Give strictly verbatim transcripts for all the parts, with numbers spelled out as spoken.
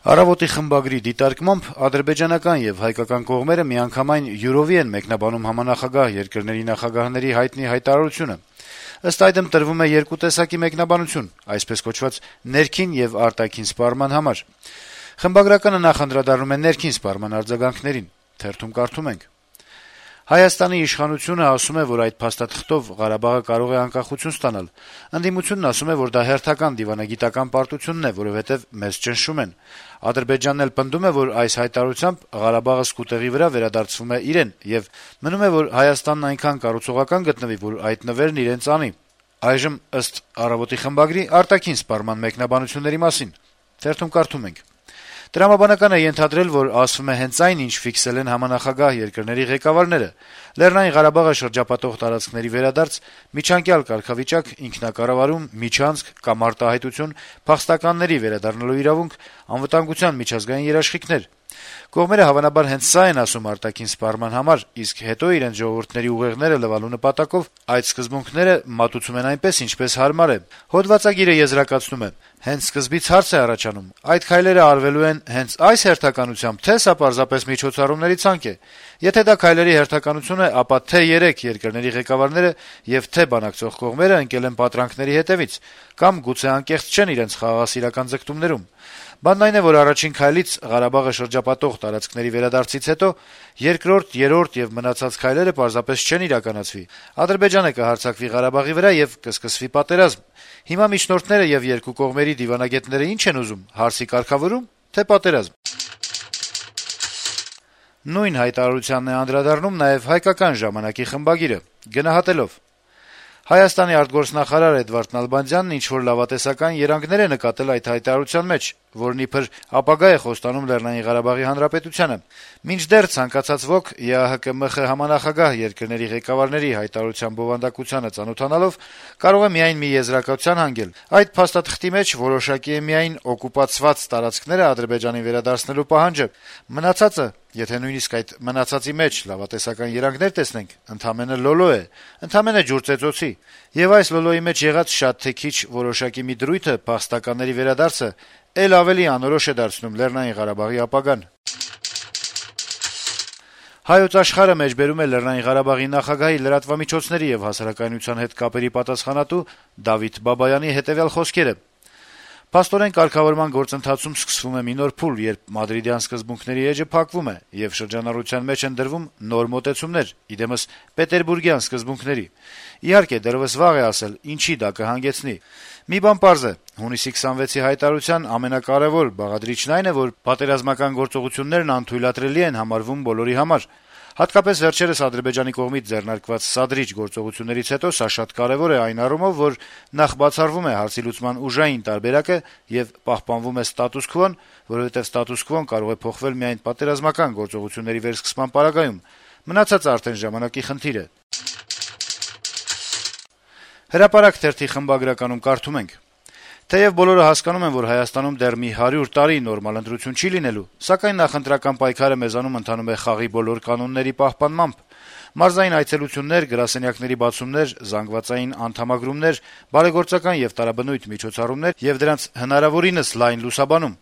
Առավոտի խմբագրի դիտարկմամբ ադրբեջանական եւ հայկական կողմերը միանգամայն յուրովի են մեկնաբանում համանախագահ երկրների նախագահների հայտնի հայտարարությունը։ Ըստ այդմ տրվում է երկու տեսակի մեկնաբանություն, այսպես կոչված ներքին եւ արտաքին սպառման համար։ Խմբագրականը նախ անդրադառնում է ներքին սպառման արձագանքներին։ Թերթում կարդում ենք. Հայաստանի իշխանությունը ասում է, որ այդ փաստաթղթով Ղարաբաղը կարող է անկախություն ստանալ։ Ընդդիմությունն ասում է, որ դա հերթական դիվանագիտական պարտությունն է, որովհետեւ մեզ ճնշում են։ Ադրբեջանն էլ պնդում է, որ այս հայտարարությամբ Ղարաբաղը սկուտեղի վրա վերադարձվում է իրեն, եւ մնում է, որ Հայաստանն այնքան կառուցողական գտնվի, որ այդ նվերն իրենց անի։ Այժմ ըստ Առավոտի խմբագրի արտաքին սպառման մեկնաբանությունների մասին։ Թերթում կարդում ենք. Տրամաբանականը ենթադրել, որ ասվում է հենց այն, ինչ ֆիքսել են համանախագահ երկրների ղեկավարները։ Լեռնային Ղարաբաղը շրջապատող տարածքների վերադարձ, միջանկյալ կարգավիճակ, ինքնակառավարում, միջանցք կամ արտահայտություն, փախստականների վերադառնալու իրավունք, անվտանգության միջազգային երաշխիքներ։ Կողմերը հավանաբար հենց սա են ասում արտաքին սպառման համար, իսկ հետո իրենց ժողովուրդների ուղեղները լվալու նպատակով այդ սկզբունքները մատուցում են այնպես, ինչպես հարմար է։ Հոդվածագիրը եզրակացնում է. հենց սկզբից հարց է առաջանում. այդ քայլերը արվելու են հենց այս հերթականությամբ, թե սա պարզապես միջոցառումների ցանկ է։ Եթե դա քայլերի հերթականություն է, ապա թե երեք երկրների ղեկավարները եւ թե բանակցող կողմերը ընկել են պատրանքների հետեւից, կամ գուցե անկեղծ չեն իրենց խաղաղասիրական ձգտումներում։ Բանն այն է, որ առաջին քայլից Ղարաբաղը շրջապատող տարածքների վերադարձից հետո երկրորդ, երրորդ եւ մնացած քայլերը պարզապես չեն իրականացվի։ Ադրբեջանը կհարձակվի Ղարաբաղի վրա եւ կսկսվի պատերազմ։ Հիմա միջնորդները եւ երկու կողմերի դիվանագետները ինչ են ուզում՝ հարսի կարգավորում, թե պատերազմ։ Նույն հայտարարությանն է անդրադառնում նաեւ հայկական ժամանակի խմբագիրը, գնահատելով. Հայաստանի արտգործնախարար Էդվարդ Նալբանդյանն ինչ-որ լավատեսական երանգներ է նկատել այդ հայտարարության մեջ, որն իբր ապագա է խոստանում Լեռնային Ղարաբաղի Հանրապետությանը։ Մինչդեռ ցանկացած ոք ԵԱՀԿ-ՄԽ համանախագահ երկրների ղեկավարների հայտարարության բովանդակությանը ծանոթանալով կարող է միայն մի եզրակացության հանգել. այդ փաստաթղթի մեջ որոշակի է միայն օկուպացված տարածքները Ադրբեջանին վերադարձնելու պահանջը, մնացածը, եթե նույնիսկ այդ մնացածի մեջ լավատեսական երանգներ տեսնենք, ընդամենը լոլո է, ընդամենը ջուրծեծոցի, եւ այս լոլոյի մեջ եղած շատ թե քիչ որոշակի մի դրույթը, փախստականների վերադարձը, ել ավելի անորոշ է դարձնում Լեռնային Ղարաբաղի ապագան։ Հայոց աշխարհը մեջբերում է Լեռնային Ղարաբաղի նախագահի լրատվամիջոցների եւ հասարակայնության հետ կապերի պատասխանատու Դավիթ Բաբայանի հետեւյալ խոսքերը. Փաստորեն կարգավորման գործընթացում սկսվում է մի նոր փուլ, երբ մադրիդյան սկզբունքների էջը փակվում է եւ շրջանառության մեջ են դրվում նոր մոտեցումներ, իդեմս պետերբուրգյան սկզբունքների։ Իհարկե, դեռևս վաղ է ասել, ինչի դա կհանգեցնի։ Մի բան պարզ է. հունիսի քսանվեցի հայտարարության ամենակարևոր բաղադրիչն այն է, որ պատերազմական գործողություններն անթույլատրելի են համարվում բոլորի համար։ Հատկապես վերջերս Ադրբեջանի կողմից ձեռնարկված սադրիչ գործողություններից հետո սա շատ կարեւոր է այն առումով, որ նախ բացառվում է հարցի լուծման ուժային տարբերակը եւ պահպանվում է ստատուս քվոն, որովհետեւ ստատուս քվոն կարող է փոխվել միայն պատերազմական գործողությունների վերսկսման պարագայում։ Մնացածը արդեն ժամանակի խնդիր է։ Հրապարակ թերթի խմբագրականում կարդում ենք. Թեև բոլորը հասկանում են, որ Հայաստանում դեռ մի հարյուր տարի նորմալ ընտրություն չի լինելու, սակայն նախընտրական պայքարը մեզանում ընթանում է խաղի բոլոր կանոնների պահպանմամբ։ Մարզային այցելություններ, գրասենյակների բացումներ, զանգվածային անդամագրումներ, բարեգործական եւ տարաբնույթ միջոցառումներ եւ դրանց հնարավորինս լայն լուսաբանում։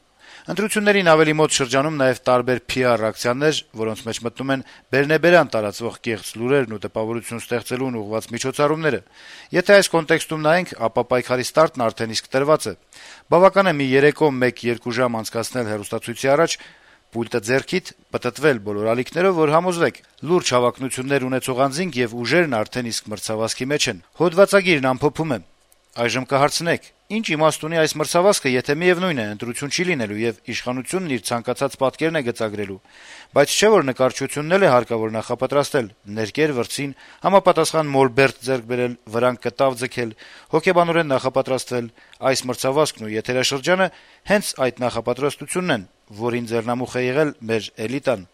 Ընտրություններին ավելի մոտ շրջանում նաեւ տարբեր Փ R ակցիաներ, որոնց մեջ մտնում են բերնեբերան տարածվող կեղծ լուրերն ու տպավորություն ստեղծելուն ուղղված միջոցառումները։ Եթե այս կոնտեքստում նայենք, ապա պայքարի ստարտն արդեն իսկ տրված է։ Բավական է մի երեկո մեկ-երկու ժամ անցկացնել հեռուստացույցի առաջ, պուլտը ձեռքիդ, պտտվել բոլոր ալիքներով, որ համոզվեք, լուրջ հավակնություններ ունեցող անձինք եւ ուժերն արդեն իսկ մրցավազքի մեջ են։ Հոդվածագիրն ամփոփում է. Այժմ կհարցնեք, ինչ իմաստ ունի այս մրցավազքը, եթե միևնույն է ընտրություն չի լինելու եւ իշխանությունն իր ցանկացած պատկերն է գծագրելու, բայց չէ որ նկարչությունն էլ է հարկավոր նախապատրաստել, ներկեր վրցին, համապատասխան մոլբերտ ձեռք բերել, վրան կտավ ձգել, հոգեբանորեն նախապատրաստվել, այս մրցավազքն ու եթերաշրջանը հենց այդ նախապատրաստությունն են, որին ձեռնամուխ է եղել մեր էլիտան։